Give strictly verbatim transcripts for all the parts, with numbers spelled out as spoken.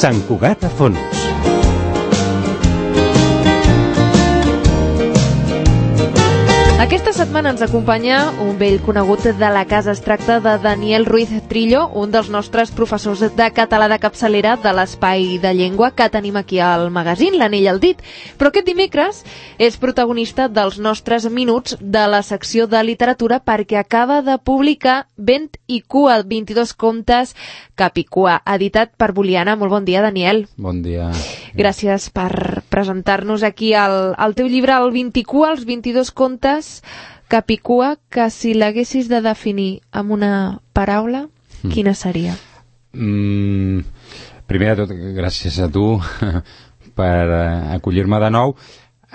Sant Cugat a fons. Aquesta setmana ens acompanya un vell conegut de la casa. Es tracta de Daniel Ruiz Trillo, un dels nostres professors de català de capçalera de l'Espai de Llengua que tenim aquí al magazín, l'Anell al dit. Però aquest dimecres és protagonista dels nostres minuts de la secció de literatura perquè acaba de publicar Vent i cua, vint-i-dos contes cap i cua, editat per Boliana. Molt bon dia, Daniel. Bon dia. Gràcies per presentar-nos aquí el, el teu llibre, el Vint i cua, els vint-i-dos contes cap i cua, que si l'haguessis de definir amb una paraula, mm. quina seria? Mm, primer de tot, gràcies a tu per uh, acollir-me de nou.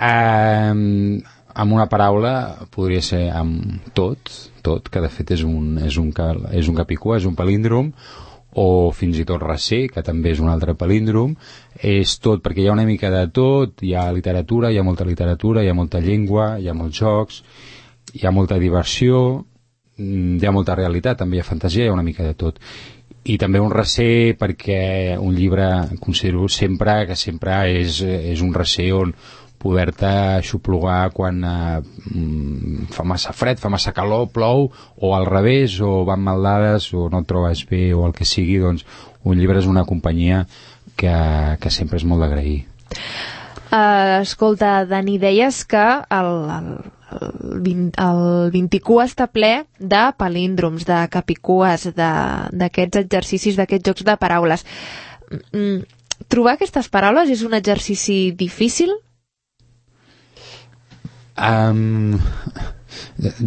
Uh, amb una paraula podria ser amb tot, tot, que de fet és un, és un, és un cap i cua, és un palíndrom, o fins i tot recer, que també és un altre palíndrom. És tot, perquè hi ha una mica de tot, hi ha literatura, hi ha molta literatura, hi ha molta llengua, hi ha molts jocs, hi ha molta diversió, hi ha molta realitat, també hi ha fantasia, hi ha una mica de tot. I també un recer, perquè un llibre considero sempre que sempre és, és un recer on poder-te aixoplugar quan eh, fa massa fred, fa massa calor, plou, o al revés, o van mal dades, o no et trobes bé, o el que sigui. Doncs un llibre és una companyia que, que sempre és molt d'agrair. Uh, escolta, Dani, deies que el, el, el, vint, el vint i cua està ple de palíndroms, de capicues, d'aquests exercicis, d'aquests jocs de paraules. Mm, trobar aquestes paraules és un exercici difícil? Um,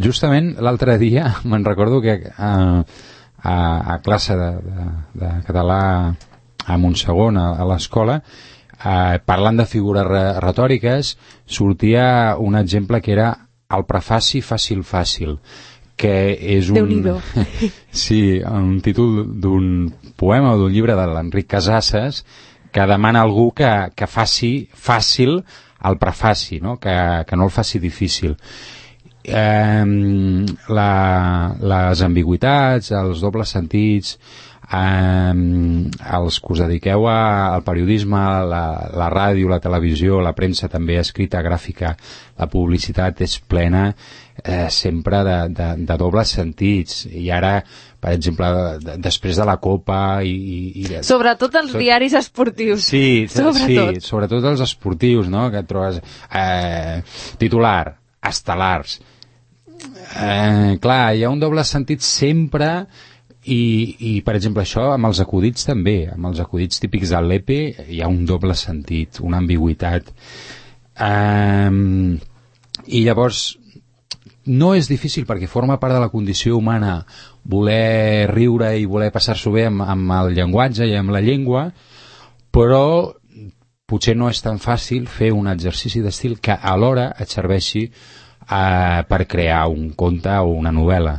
justament l'altre dia me'n recordo que uh, a, a classe de, de, de català a Montsegon, a, a l'escola, uh, parlant de figures re retòriques, sortia un exemple que era el prefaci fàcil-fàcil, que és un, sí, un títol d'un poema o d'un llibre de l'Enric Casasses que demana a algú que, que faci fàcil el prefaci, no? Que, que no el faci difícil. Eh, la, les ambigüitats, els dobles sentits, eh, els que us dediqueu a, al periodisme, la, la ràdio, la televisió, la premsa també escrita, gràfica, la publicitat és plena eh, sempre de, de, de dobles sentits. I ara, per exemple, de, després de la Copa i... i de, sobretot els tot, diaris esportius. Sí, sobretot. sí, sobretot els esportius, no? Que et trobes eh, titular, estel·lars. Eh, clar, hi ha un doble sentit sempre i, i, per exemple, això amb els acudits també. Amb els acudits típics del l'E P E hi ha un doble sentit, una ambigüitat. Eh, I llavors no és difícil perquè forma part de la condició humana voler riure i voler passar-s'ho bé amb, amb el llenguatge i amb la llengua, però potser no és tan fàcil fer un exercici d'estil que alhora et serveixi eh, per crear un conte o una novel·la.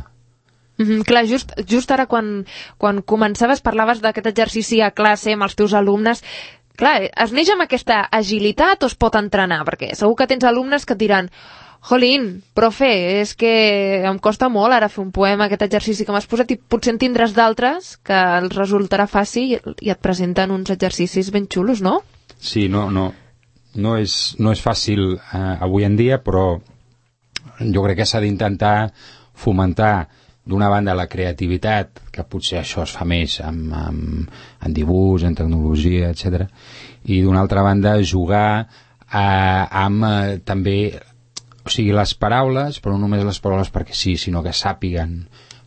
Mm-hmm, clar, just, just ara quan, quan començaves parlaves d'aquest exercici a classe amb els teus alumnes. Clar, es neix amb aquesta agilitat o es pot entrenar? Perquè segur que tens alumnes que et diran: jolín, profe, és que em costa molt ara fer un poema, aquest exercici que m'has posat, i potser en tindràs d'altres que els resultarà fàcil i et presenten uns exercicis ben xulos, no? Sí, no, no, no, és, no és fàcil eh, avui en dia, però jo crec que s'ha d'intentar fomentar d'una banda la creativitat, que potser això es fa més amb, amb, en dibuix, en tecnologia, etcètera, i d'una altra banda jugar eh, amb eh, també, o sigui, les paraules, però no només les paraules perquè sí, sinó que sàpiguen,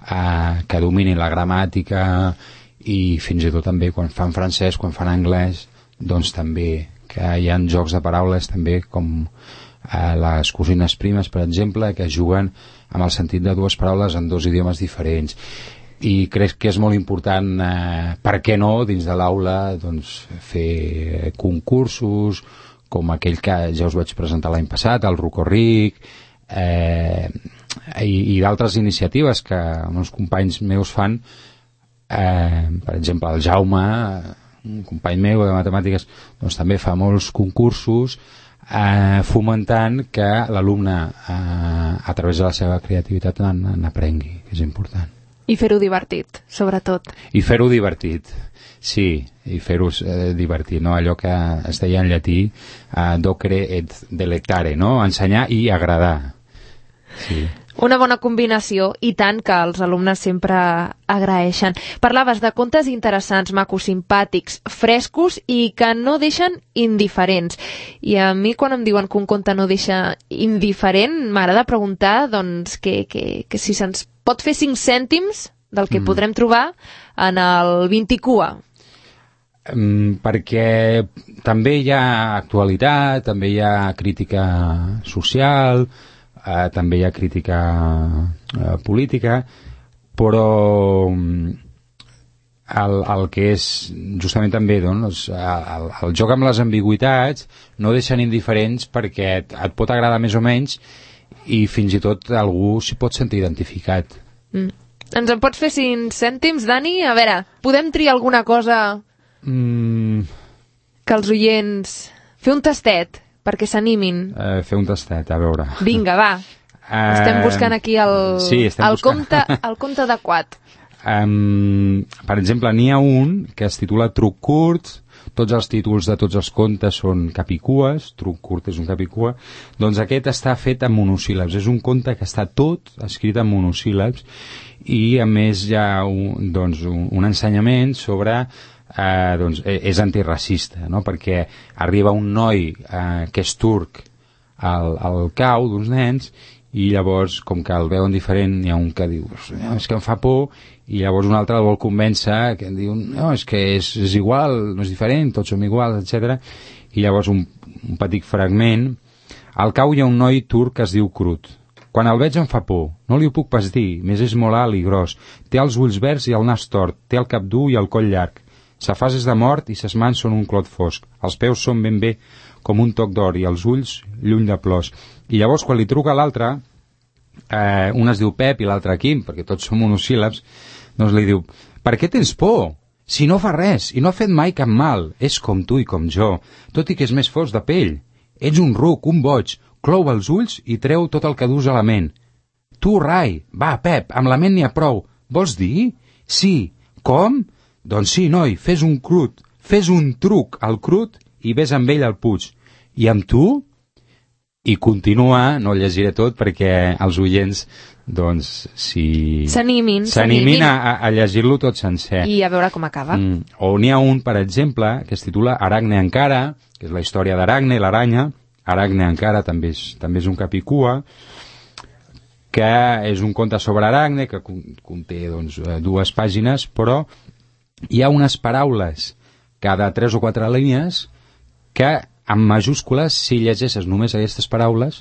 eh, que dominin la gramàtica, i fins i tot també quan fan francès, quan fan anglès, doncs també que hi ha jocs de paraules també com eh, les cosines primes, per exemple, que juguen amb el sentit de dues paraules en dos idiomes diferents. I crec que és molt important, eh, per què no, dins de l'aula, doncs, fer concursos com aquell que ja us vaig presentar l'any passat, el Rocorric, eh, i, i d'altres iniciatives que uns companys meus fan, eh, per exemple el Jaume, un company meu de matemàtiques, doncs també fa molts concursos eh, fomentant que l'alumne eh, a través de la seva creativitat n'aprengui, que és important. I fer-ho divertit, sobretot. I fer-ho divertit, sí, i fer-ho eh, divertit, no? Allò que es deia en llatí, uh, docere et delectare, no? Ensenyar i agradar. Sí. Una bona combinació, i tant, que els alumnes sempre agraeixen. Parlaves de contes interessants, macos, simpàtics, frescos i que no deixen indiferents. I a mi, quan em diuen que un conte no deixa indiferent, m'agrada preguntar doncs, que, que, que si se'ns pot fer cinc cèntims del que mm. podrem trobar en el vint-i-cua. Um, perquè també hi ha actualitat, també hi ha crítica social, Uh, també hi ha crítica uh, política, però um, el, el que és justament també doncs, el, el joc amb les ambigüitats no deixen indiferents perquè et, et pot agradar més o menys i fins i tot algú s'hi pot sentir identificat. Mm. Ens en pots fer cinc cèntims, Dani? A veure, podem triar alguna cosa mm. que els oients... Fer un tastet perquè s'animin. Uh, fer un tastet, a veure. Vinga, va. Uh, estem buscant aquí el, sí, el, compte, el compte adequat. Um, per exemple, n'hi ha un que es titula Truc curt, tots els títols de tots els contes són capicues, Truc curt és un capicua, doncs aquest està fet en monosíl·labs, és un conte que està tot escrit en monosíl·labs i a més hi ha un, doncs, un, un ensenyament sobre... Uh, doncs és antiracista, no? Perquè arriba un noi uh, que és turc al, al cau d'uns nens i llavors, com que el veuen diferent, hi ha un que diu és que em fa por, i llavors un altre el vol convèncer, que diu no, és que és, és igual, no és diferent, tots som iguals, etcètera. I llavors un, un petit fragment. Al cau hi ha un noi turc que es diu Crut. Quan el veig em fa por, no li ho puc pas dir, més és molt alt i gros, té els ulls verds i el nas tort, té el cap dur i el coll llarg. Sa fase és de mort i ses mans són un clot fosc. Els peus són ben bé com un toc d'or i els ulls lluny de plors. I llavors, quan li truca l'altre, eh, un es diu Pep i l'altre Quim, perquè tots són monosíl·labs, doncs li diu, per què tens por? Si no fa res i no ha fet mai cap mal, és com tu i com jo, tot i que és més fosc de pell. Ets un ruc, un boig, clou els ulls i treu tot el que dus a la ment. Tu, rai, va, Pep, amb la ment n'hi ha prou. Vols dir? Sí. Com? Doncs sí, noi, fes un crut, fes un truc al Crut i ves amb ell al Puig. I amb tu? I continua, no el llegiré tot perquè els oients, doncs, si... S'animin. S'animin a, a llegir-lo tot sencer. I a veure com acaba. Mm. O n'hi ha un, per exemple, que es titula Aracne encara, que és la història d'Aracne, l'aranya. Aracne encara també és, també és un capicua, que és un conte sobre Aracne, que conté doncs, dues pàgines, però hi ha unes paraules cada tres o quatre línies que en majúscules, si llegeixes només aquestes paraules,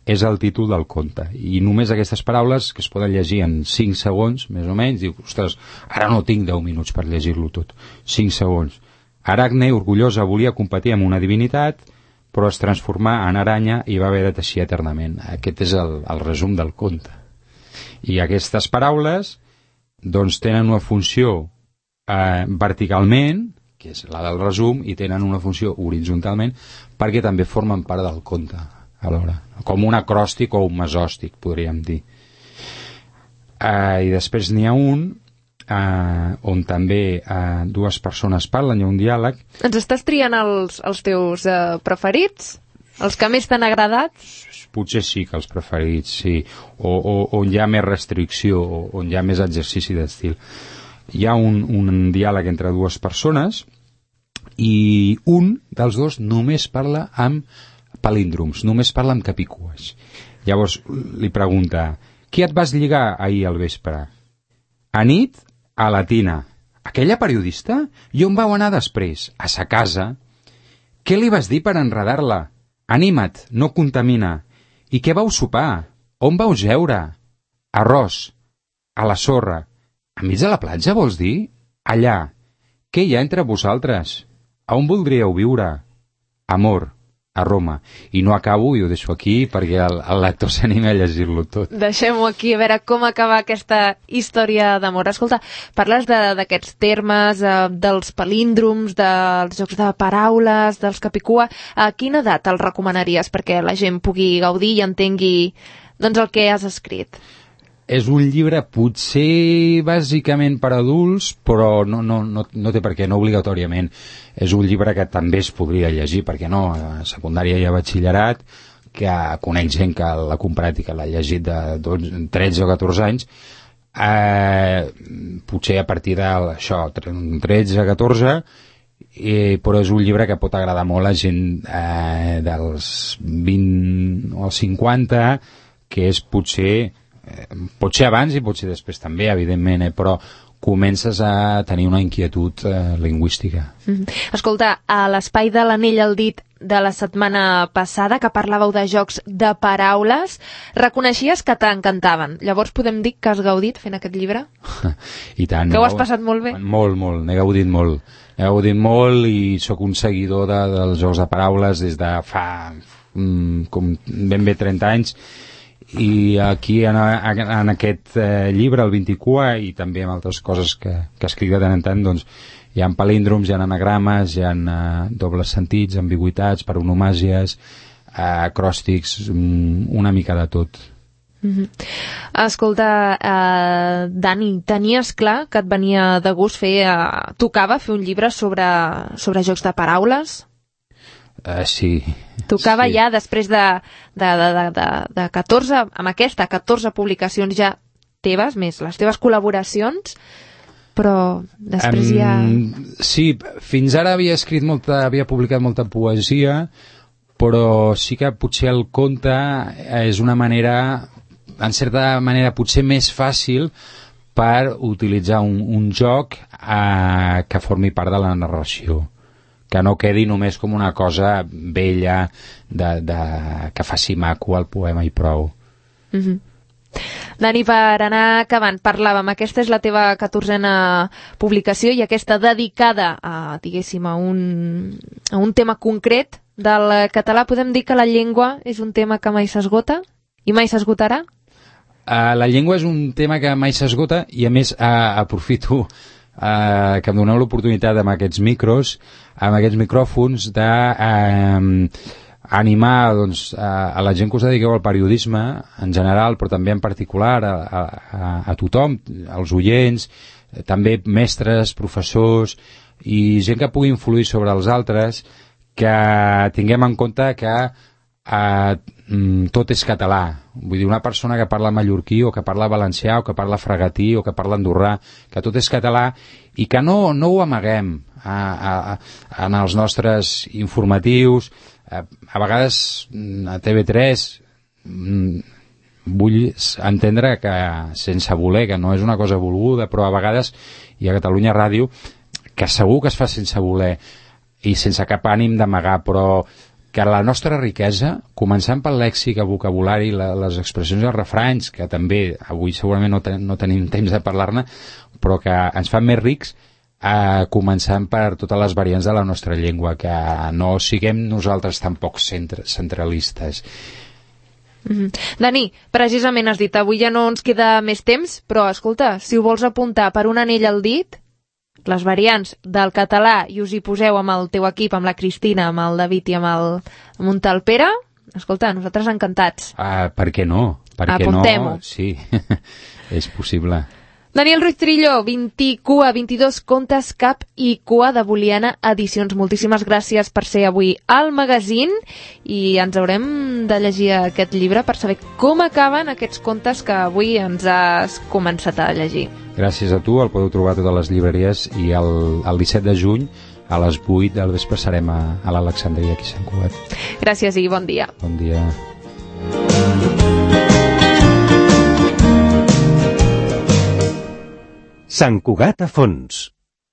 és el títol del conte. I només aquestes paraules, que es poden llegir en cinc segons, més o menys, diu, ostres, ara no tinc deu minuts per llegir-lo tot. cinc segons. Aracne, orgullosa, volia competir amb una divinitat, però es transformà en aranya i va haver de teixir eternament. Aquest és el, el resum del conte. I aquestes paraules, doncs, tenen una funció Eh, verticalment, que és la del resum, i tenen una funció horitzontalment perquè també formen part del conte alhora, com un acròstic o un mesòstic, podríem dir. Eh, I després n'hi ha un eh, on també eh, dues persones parlen, hi ha un diàleg. Ens estàs triant els, els teus eh, preferits? Els que més t'han agradat? Potser sí que els preferits, sí. O, o on hi ha més restricció, o on hi ha més exercici d'estil. Hi ha un, un diàleg entre dues persones i un dels dos només parla amb palíndroms, només parla amb capicues. Llavors li pregunta, qui et vas lligar ahir al vespre? A nit, a la Tina. Aquella periodista? I on vau anar després? A sa casa. Què li vas dir per enredar-la? Anima't, no contamina. I què vau sopar? On vau jeure? Arròs. A la sorra. A mig de la platja, vols dir? Allà. Què hi ha entre vosaltres? A on voldríeu viure? Amor. A Roma. I no acabo i ho deixo aquí perquè el, el lector s'anima a llegir-lo tot. Deixem-ho aquí, a veure com acaba aquesta història d'amor. Escolta, parles d'aquests termes, eh, dels palíndroms, dels jocs de paraules, dels capicua. A quina edat el recomanaries perquè la gent pugui gaudir i entengui doncs, el que has escrit? és un llibre potser bàsicament per adults, però no, no, no, no té per què, no obligatòriament. És un llibre que també es podria llegir, perquè no, a secundària i a batxillerat, que conec gent que l'ha comprat i que l'ha llegit de dotze, tretze o catorze anys, eh, potser a partir d'això, tretze, catorze, eh, però és un llibre que pot agradar molt a gent eh, dels vint o cinquanta, que és potser pot ser abans i pot ser després també, evidentment, eh? Però comences a tenir una inquietud eh, lingüística. Mm. Escolta, a l'espai de l'anell al dit de la setmana passada, que parlàveu de jocs de paraules, reconeixies que t'encantaven. Llavors podem dir que has gaudit fent aquest llibre? I tant. Que ho has passat molt bé? Molt, molt, n'he gaudit molt. He gaudit molt i sóc un seguidor de, dels jocs de paraules des de fa mm, com ben bé trenta anys. I aquí en, en aquest eh, llibre, el vint-i-cua, i també en altres coses que, que escric de tant en tant, doncs hi ha palíndroms, hi ha anagrames, hi ha eh, dobles sentits, ambigüitats, paronomàsies, eh, acròstics, una mica de tot. Mm-hmm. Escolta, eh, Dani, tenies clar que et venia de gust fer, eh, tocava fer un llibre sobre, sobre jocs de paraules? Uh, sí. Tocava sí. Ja després de, de, de, de, de catorze, amb aquesta, catorze publicacions ja teves, més les teves col·laboracions, però després um, ja... Sí, fins ara havia escrit molta, havia publicat molta poesia, però sí que potser el conte és una manera, en certa manera, potser més fàcil per utilitzar un, un joc eh, que formi part de la narració, que no quedi només com una cosa vella de, de, que faci maco el poema i prou. Mm-hmm. Dani, per anar acabant, parlàvem, aquesta és la teva catorzena publicació i aquesta dedicada a, diguéssim, a un, a un tema concret del català. Podem dir que la llengua és un tema que mai s'esgota i mai s'esgotarà? Uh, la llengua és un tema que mai s'esgota i a més uh, aprofito Uh, que em doneu l'oportunitat amb aquests micros, amb aquests micròfons de uh, animar doncs, a, a la gent que us dediqueu al periodisme en general, però també en particular a, a, a tothom, als oients, també mestres, professors i gent que pugui influir sobre els altres, que tinguem en compte que Uh, tot és català. Vull dir, una persona que parla mallorquí o que parla valencià o que parla fregatí o que parla andorrà, que tot és català i que no, no ho amaguem a, a, a, en els nostres informatius. A, a vegades a T V tres vull entendre que sense voler, que no és una cosa volguda, però a vegades i a Catalunya Ràdio, que segur que es fa sense voler i sense cap ànim d'amagar, però que la nostra riquesa, començant pel lèxic, el vocabulari, la, les expressions i els refranys, que també avui segurament no, ten, no tenim temps de parlar-ne, però que ens fan més rics, eh, començant per totes les variants de la nostra llengua, que no siguem nosaltres tampoc centre, centralistes. Mm-hmm. Dani, precisament has dit, avui ja no ens queda més temps, però escolta, si ho vols apuntar per un anell al dit, les variants del català i us hi poseu amb el teu equip, amb la Cristina, amb el David i amb el amb un tal Pere, escolta, nosaltres encantats. Uh, per què no? Per què no? Sí, és possible. Daniel Ruiz Trillo, vint-i-cua, vint-i-dos contes, cap i cua de Boliana Edicions. Moltíssimes gràcies per ser avui al magazín i ens haurem de llegir aquest llibre per saber com acaben aquests contes que avui ens has començat a llegir. Gràcies a tu, el podeu trobar a totes les llibreries i el, el disset de juny a les vuit del vespre serem a, a l'Alexandria aquí a Sant Cugat. Gràcies i bon dia. Bon dia. Sant Cugat a fons.